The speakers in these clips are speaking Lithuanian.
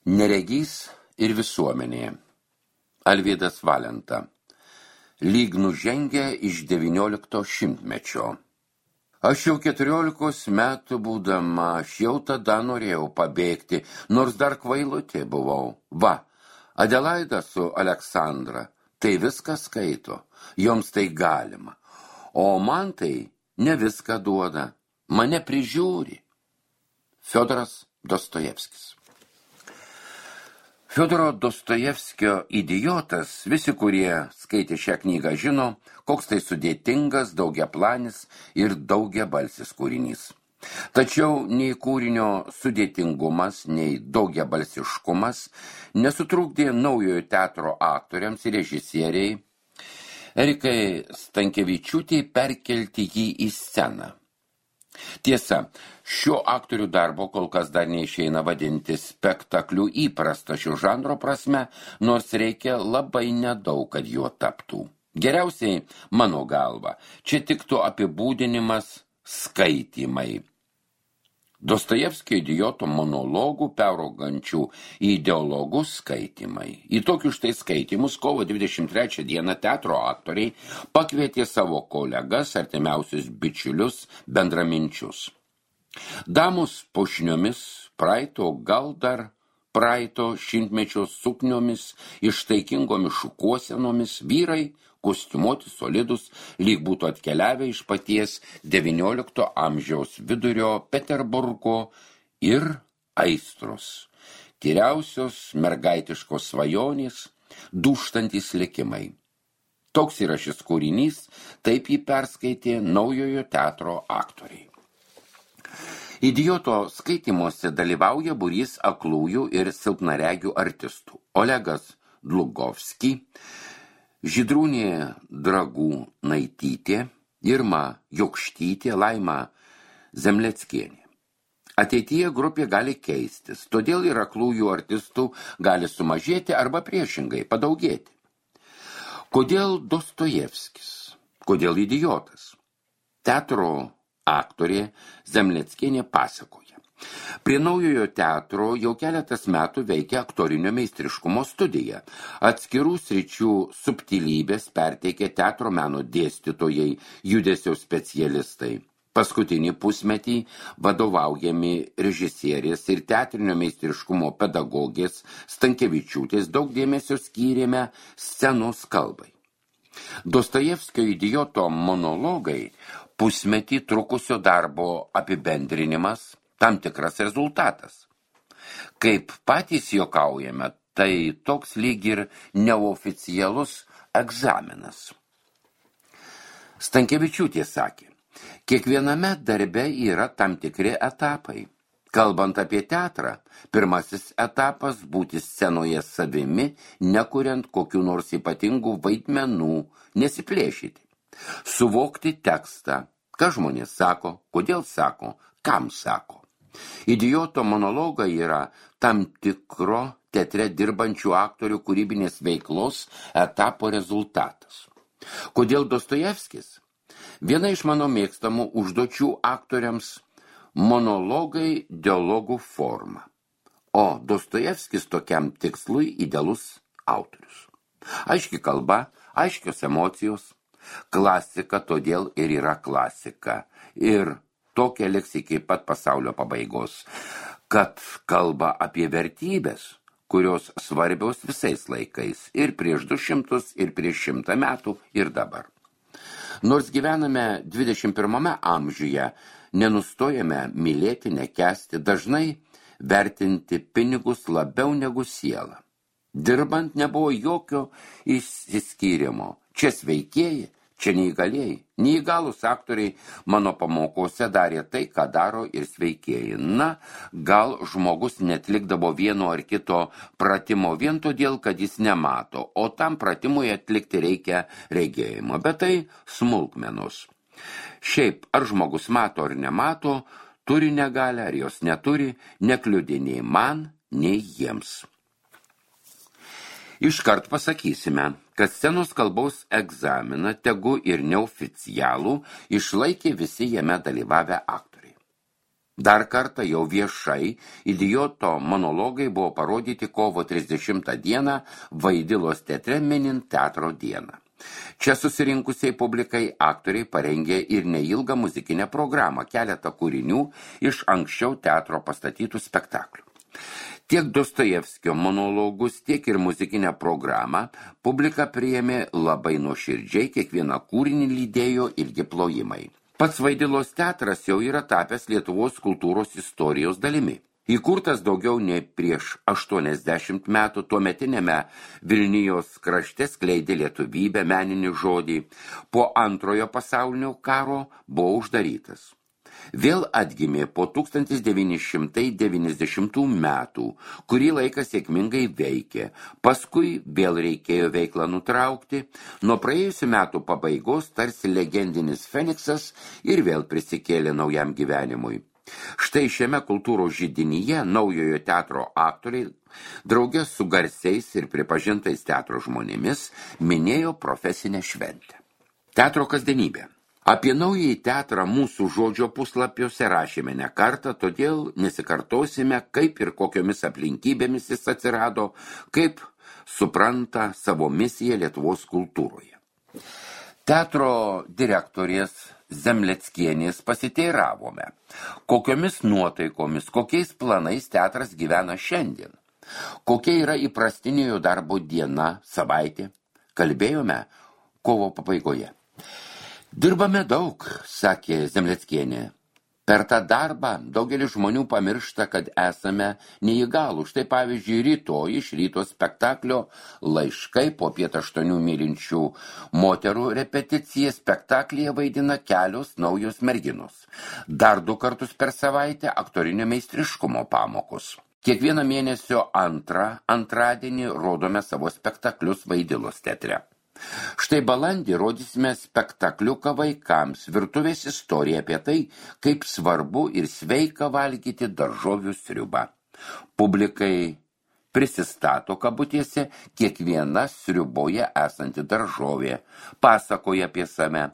Neregys ir visuomenė. Alvydas Valenta. Lyg nužengę iš 19 šimtmečio. Aš jau 14 metų būdama, aš jau tada norėjau pabėgti, nors dar kvailutė buvau. Va, Adelaida su Aleksandra, tai viską skaito, joms tai galima. O man tai ne viską duoda, mane prižiūri. Fiodoras Dostojevskis. Fiodoro Dostojevskio Idiotas, visi, kurie skaitė šią knygą, žino, koks tai sudėtingas, daugiaplanis ir daugiabalsis kūrinys. Tačiau nei kūrinio sudėtingumas, nei daugiabalsiškumas nesutrukdė naujojo teatro aktoriams ir režisieriai Erikai Stankevičiūtei perkelti jį į sceną. Tiesa, šio aktorių darbo kol kas dar neišeina vadinti spektakliu įprasta šio žanro prasme, nors reikia labai nedaug, kad juo taptų. Geriausiai, mano galva, čia tiktų apibūdinimas skaitymai. Dostojevskio idioto monologų peraugančių į ideologus skaitimai. Į tokius štai skaitymus kovo 23 dieną teatro aktoriai pakvietė savo kolegas, artimiausius bičiulius, bendraminčius. Damus pušniomis, gal dar praeito šimtmečio sukniomis, ištaikingomis šukuosenomis, vyrai, kostiumuoti solidus, lyg būtų atkeliavę iš paties XIX amžiaus vidurio Peterburgo ir aistros, tyriausios mergaitiškos svajonės, dūžtantys likimai. Toks yra šis kūrinys, taip jį perskaitė naujojo teatro aktoriai. Idioto skaitymuose dalyvauja būrys aklųjų ir silpnaregių artistų. Olegas Dlugovski, Žydrūnė Dragūnaitytė, Irma Jokštytė, Laima Zemleckienė. Ateityje grupė gali keistis, todėl ir aklųjų artistų gali sumažėti arba priešingai padaugėti. Kodėl Dostojevskis? Kodėl idiotas? Teatro aktorė Zemleckienė pasakoja. Prie naujojo teatro jau keletas metų veikia aktorinio meistriškumo studija. Atskirų sričių subtilybės perteikia teatro meno dėstytojai, judesio specialistai. Paskutinį pusmetį vadovaujami režisierės ir teatrinio meistriškumo pedagogės Stankevičiūtės daug dėmesio skyrėme scenos kalbai. Dostojevskio idioto monologai pusmetį trukusio darbo apibendrinimas, tam tikras rezultatas. Kaip patys juokaujame, tai toks lyg ir neoficialus egzaminas. Stankevičiūtė sakė, kiekviename darbe yra tam tikri etapai. Kalbant apie teatrą, pirmasis etapas būti scenoje savimi, nekuriant kokių nors ypatingų vaidmenų, nesiplėšyti. Suvokti tekstą, ką žmonės sako, kodėl sako, kam sako. Idioto monologai yra tam tikro teatre dirbančių aktorių kūrybinės veiklos etapo rezultatas. Kodėl Dostojevskis? Viena iš mano mėgstamų užduočių aktoriams monologai dialogų forma. O Dostojevskis tokiam tikslui idealus autorius. Aiški kalba, aiškios emocijos. Klasika todėl ir yra klasika. Ir tokia liks iki pat pasaulio pabaigos, kad kalba apie vertybės, kurios svarbios visais laikais, ir prieš 200, ir prieš 100 metų, ir dabar. Nors gyvename 21 amžiuje, nenustojame mylėti, nekęsti, dažnai vertinti pinigus labiau negu sielą. Dirbant nebuvo jokio išsiskyrimo. Čia sveikieji, čia neįgalieji. Neįgalūs aktoriai mano pamokose darė tai, ką daro ir sveikieji. Na, gal žmogus netlikdavo vieno ar kito pratimo vien todėl, kad jis nemato, o tam pratimui atlikti reikia regėjimo. Bet tai smulkmenos. Šiaip, ar žmogus mato ar nemato, turi negalią ar jos neturi, nekliudė nei man, nei jiems. Iškart pasakysime, kad scenos kalbos egzaminą, tegu ir neoficialų, išlaikė visi jame dalyvavę aktoriai. Dar kartą jau viešai Idioto monologai buvo parodyti kovo 30 dieną Vaidilos teatre minint teatro dieną. Čia susirinkusiai publikai aktoriai parengė ir neilgą muzikinę programą, keletą kūrinių iš anksčiau teatro pastatytų spektaklių. Tiek Dostojevskio monologus, tiek ir muzikinę programą publika priėmė labai nuoširdžiai, kiekvieną kūrinį lydėjo ilgi plojimai. Pats Vaidilos teatras jau yra tapęs Lietuvos kultūros istorijos dalimi. Įkurtas daugiau nei prieš 80 metų, tuometinėme Vilnijos krašte skleidė lietuvybę, meninį žodį. Po Antrojo pasaulinio karo buvo uždarytas. Vėl atgimė po 1990 metų, kurį laiką sėkmingai veikė. Paskui vėl reikėjo veiklą nutraukti. Nuo praėjusių metų pabaigos tarsi legendinis Feniksas ir vėl prisikėlė naujam gyvenimui. Štai šiame kultūros židinyje naujojo teatro aktoriai, drauge su garsiais ir pripažintais teatro žmonėmis, minėjo profesinę šventę. Teatro kasdienybė. Apie naująjį teatrą mūsų žodžio puslapiuose rašėme ne kartą, todėl nesikartosime, kaip ir kokiomis aplinkybėmis jis atsirado, kaip supranta savo misiją Lietuvos kultūroje. Teatro direktorės Zemleckienės pasiteiravome, kokiomis nuotaikomis, kokiais planais teatras gyvena šiandien, kokia yra įprastinė jo darbo diena, savaitė, kalbėjome kovo pabaigoje. Dirbame daug, sakė Zemleckienė. Per tą darbą daugelis žmonių pamiršta, kad esame neįgalų. Štai pavyzdžiui, rytoj iš ryto spektaklio Laiškai po 7 mylinčių moterų repeticija spektaklyje vaidina kelios naujos merginos. Dar 2 kartus per savaitę aktorinio meistriškumo pamokos. Kiekvieną mėnesio antradienį rodome savo spektaklius Vaidilos teatre. Štai balandį rodysime spektakliuką vaikams, virtuvės istoriją apie tai, kaip svarbu ir sveika valgyti daržovių sriubą. Publikai prisistato kabutėse kiekviena sriuboje esanti daržovė, pasakoja apie save.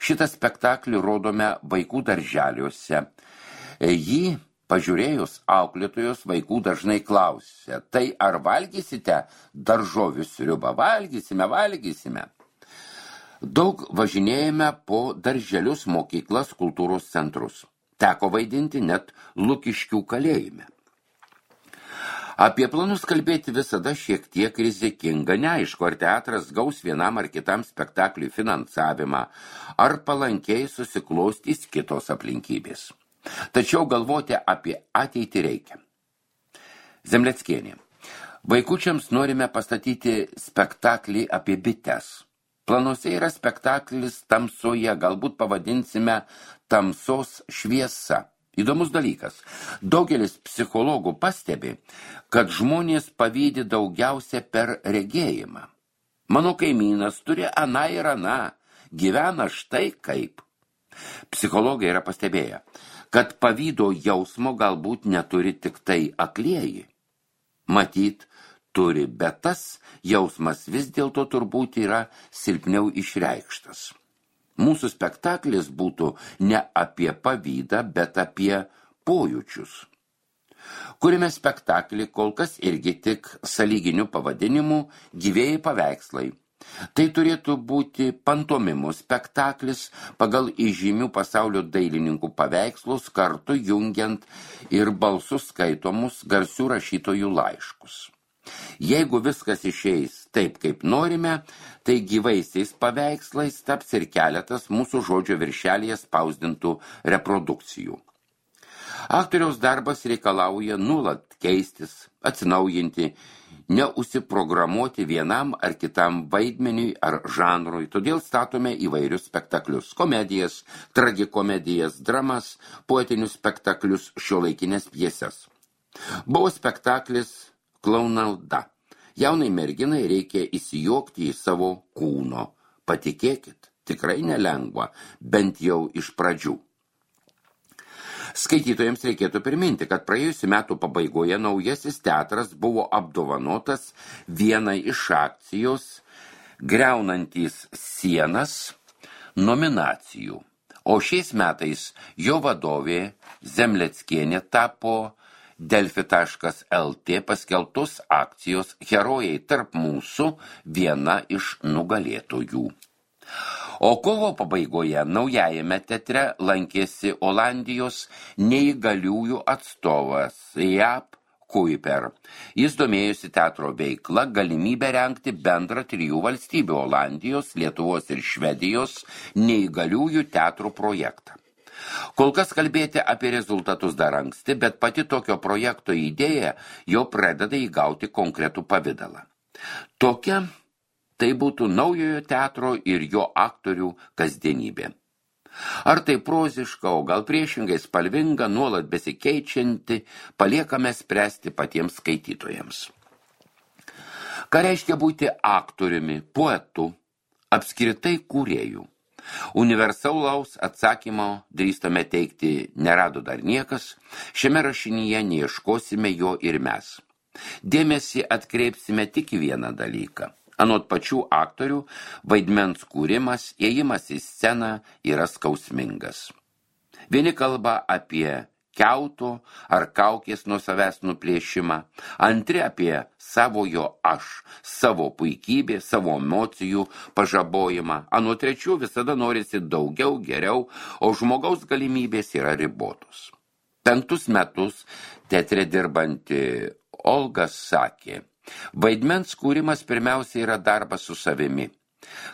Šitą spektaklį rodome vaikų darželiuose. Jį pažiūrėjus auklėtojos vaikų dažnai klausia, tai ar valgysite daržovių sriubą? Valgysime. Daug važinėjame po darželius, mokyklas, kultūros centrus. Teko vaidinti net Lukiškių kalėjime. Apie planus kalbėti visada šiek tiek rizikinga, neaišku, ar teatras gaus vienam ar kitam spektakliui finansavimą, ar palankiai susiklostys kitos aplinkybės. Tačiau galvoti apie ateitį reikia. Zemleckienė. Vaikučiams norime pastatyti spektaklį apie bites. Planuose yra spektaklis Tamsoje, galbūt pavadinsime Tamsos šviesa. Įdomus dalykas. Daugelis psichologų pastebi, kad žmonės pavydi daugiausia per regėjimą. Mano kaimynas turi aną ir aną, gyvena štai kaip. Psichologai yra pastebėję, kad pavydo jausmo galbūt neturi tik tai aklieji. Matyt, turi, bet tas jausmas vis dėlto turbūt yra silpniau išreikštas. Mūsų spektaklis būtų ne apie pavydą, bet apie pojūčius. Kuriame spektaklį kol kas irgi tik sąlyginiu pavadinimu Gyvieji paveikslai. Tai turėtų būti pantomimų spektaklis pagal įžymių pasaulio dailininkų paveikslus, kartu jungiant ir balsus skaitomus garsių rašytojų laiškus. Jeigu viskas išeis taip, kaip norime, tai gyvaisiais paveikslais taps ir keletas mūsų žodžio viršelyje spausdintų reprodukcijų. Aktoriaus darbas reikalauja nuolat keistis, atsinaujinti, neusiprogramuoti vienam ar kitam vaidmeniui ar žanrui, todėl statome įvairius spektaklius, komedijas, tragikomedijas, dramas, poetinius spektaklius, šiuolaikinės pjeses. Buvo spektaklis Klaunalda. Jaunai merginai reikia įsijokti į savo kūno. Patikėkit, tikrai nelengva, bent jau iš pradžių. Skaitytojams reikėtų priminti, kad praėjusių metų pabaigoje naujasis teatras buvo apdovanotas vienai iš akcijos Griaunantys sienas nominacijų, O šiais metais jo vadovė Zemleckienė tapo Delfi.lt paskelbtos akcijos Herojai tarp mūsų viena iš nugalėtojų. O kovo pabaigoje naujajame teatre lankėsi Olandijos neįgaliųjų atstovas Jaap Kuiper. Jis domėjosi teatro veikla, galimybę rengti bendrą 3 valstybių Olandijos, Lietuvos ir Švedijos neįgaliųjų teatrų projektą. Kol kas kalbėti apie rezultatus dar anksti, bet pati tokio projekto idėja jau pradeda įgauti konkretų pavidalą. Tokia tai būtų naujojo teatro ir jo aktorių kasdienybė. Ar tai proziška, o gal priešingai spalvinga, nuolat besikeičianti, paliekame spręsti patiems skaitytojams. Ką reiškia būti aktoriumi, poetu, apskritai kūrėjų? Universalaus atsakymo, drįstame teigti, nerado dar niekas, šiame rašinyje neieškosime jo ir mes. Dėmesį atkreipsime tik į vieną dalyką. Anot pačių aktorių, vaidmens kūrimas, ėjimas į sceną yra skausmingas. Vieni kalba apie kiauto ar kaukės nuo savęs nuplėšimą, antri apie savojo aš, savo puikybė, savo emocijų pažabojimą, anot trečių visada norisi daugiau, geriau, o žmogaus galimybės yra ribotos. 5 metus teatre dirbanti Olga sakė, vaidmens kūrimas pirmiausia yra darbas su savimi.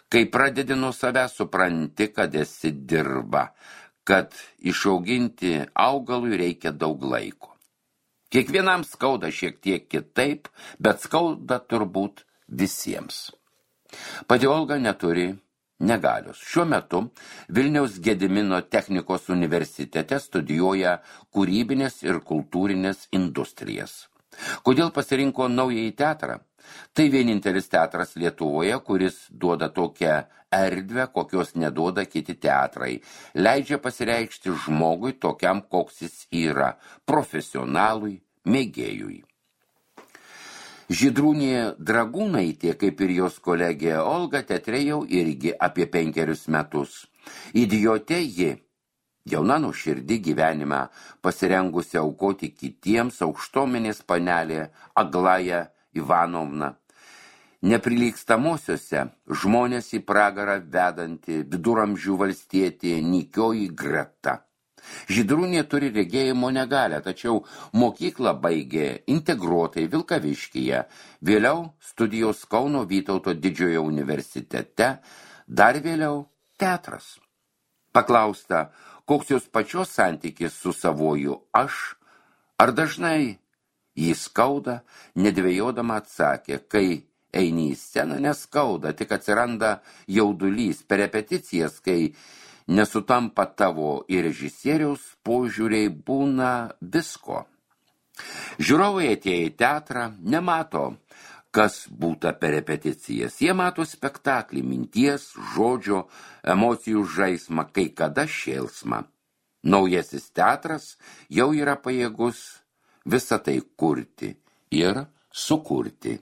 Kai pradedi nuo savęs, supranti, kad esi dirba, kad išauginti augalui reikia daug laiko. Kiekvienam skauda šiek tiek kitaip, bet skauda turbūt visiems. Pati Olga neturi negalios. Šiuo metu Vilniaus Gedimino technikos universitete studijuoja kūrybinės ir kultūrinės industrijas. Kodėl pasirinko naująjį teatrą? Tai vienintelis teatras Lietuvoje, kuris duoda tokią erdvę, kokios neduoda kiti teatrai. Leidžia pasireikšti žmogui tokiam, koks jis yra, profesionalui, mėgėjui. Žydrūnė Dragūnaitė, kaip ir jos kolegė Olga, teatre jau irgi apie 5 metus. Idiotė ji, jauna nuoširdi gyvenimą, pasirengusi aukoti kitiems, aukštomenės panelė Aglaja Ivanovna. Neprilygstamuosiuose žmonės į pragarą vedanti viduramžių valstietė Nikioji Greta. Žydrūnė turi regėjimo negalią, tačiau mokyklą baigė integruotai Vilkaviškyje, vėliau studijos Kauno Vytauto didžiojo universitete, dar vėliau teatras. Paklausta, koks jos pačios santykis su savoju aš, ar dažnai jį skauda, nedvejodama atsakė, kai eini į sceną neskauda, tik atsiranda jaudulys per repeticijas, kai nesutampa tavo ir režisieriaus požiūriai, būna visko. Žiūrovai atėję į teatrą nemato, kas būta per repeticijas. Jie mato spektaklį, minties, žodžio, emocijų žaismą, kai kada šėlsmą. Naujasis teatras jau yra pajėgus visą tai kurti ir sukurti.